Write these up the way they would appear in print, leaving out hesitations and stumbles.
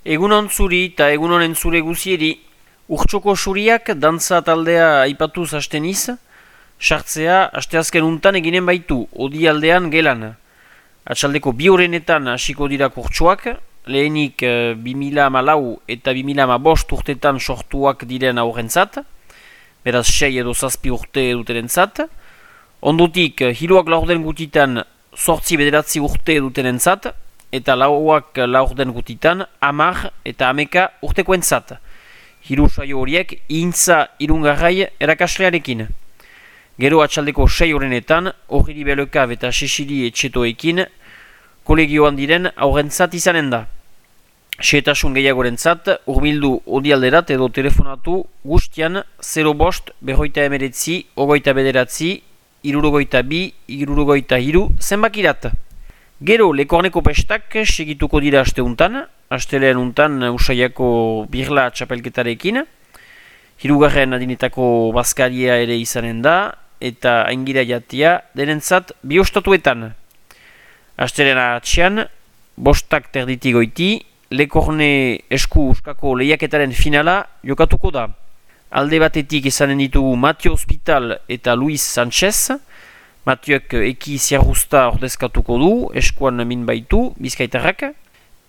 Egunon zuri eta egunonen zure guzieri, urtsoko zuriak dantza taldea aipatuz hasten iz, sartzea asteazken untan eginen baitu, odi aldean gelan. Atxaldeko bi horrenetan hasiko dira kurtsuak, lehenik 2014 eta 2015 urtetan sortuak diren aurrentzat, beraz 6 edo 7 urte dutenentzat. Ondotik, hiruak laurden gutitan 8-9 urte dutenentzat, eta lauak laurden gutitan 10 eta 11 urtekoentzat. Hiru saio horiek intza irungarrai erakaslearekin. Gero atxaldeko 6 horrenetan, Horri Belokab eta Sesili Etxetoekin kolegioan diren aurrentzat izanen da. Xehetasun gehiagorentzat, hurbildu odialderat edo telefonatu guztian 05-49 29 62 63 zenbakirat. Gero, Lekorneko pestak segituko dira asteuntan, astelean untan Usaiako birla txapelketarekin, hirugarren adinetako bazkaria ere izanen da, eta aingira jatia denentzat bi ostatuetan. Astelean atxean, 5 terditik goiti, Lekorne esku uskako lehiaketaren finala jokatuko da. Alde batetik izanen ditugu Matio Hospital eta Luis Sanchez. Matioek eki ziarruzta ordezkatuko du, eskuan min baitu, bizkaitarrak.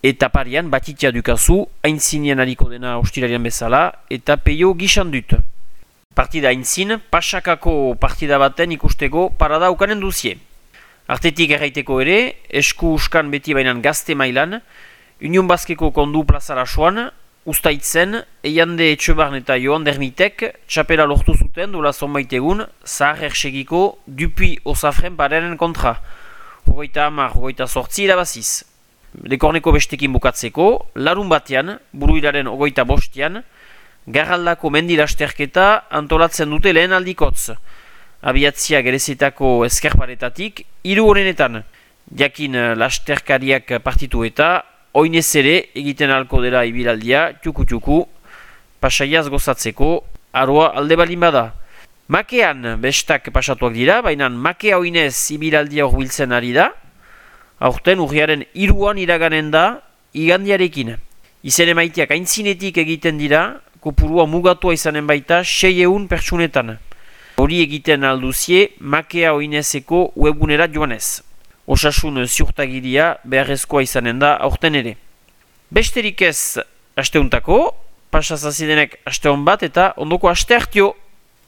Eta parian Batitia dukazu, haintzinian hariko dena ostirarian bezala, eta peio gixan dut. Partida haintzin, pasakako partida baten ikusteko parada ukanen duzie. Artetik erraiteko ere, esku uskan beti bainan gazte mailan, Union Baskeko kondu plazara soan, Uztaitzen, Eiande Etxebarn eta Joan Dermitek txapela lortu zuten dola zonbait egun Zahar Ersegiko Dupuy Osafren parenen kontra. 38 irabaziz. Lekorneko bestekin bukatzeko, larun batean, buruilaren 25an, Garraldako mendilasterketa antolatzen dute lehen aldikotz. Abiatzia gerezetako eskerparetatik, 3 horrenetan. Jakin lasterkariak partitu eta oinez ere egiten alko dela ibilaldia, txuku-txuku, pasaiaz gozatzeko, aroa alde balin bada. Makean bestak pasatuak dira, baina makea oinez ibilaldia horbiltzen ari da, aurten urriaren 3an iraganen da igandiarekin. Izen emaiteak aintzinetik egiten dira, kopurua mugatua izanen baita 600 pertsunetan. Hori egiten alduzie makea oinezeko webgunera joanez. Osasun ziurtagiria beharrezkoa izanen da aurten ere. Besterik ez asteuntako, pasazazidenek asteon bat eta ondoko aste hartio.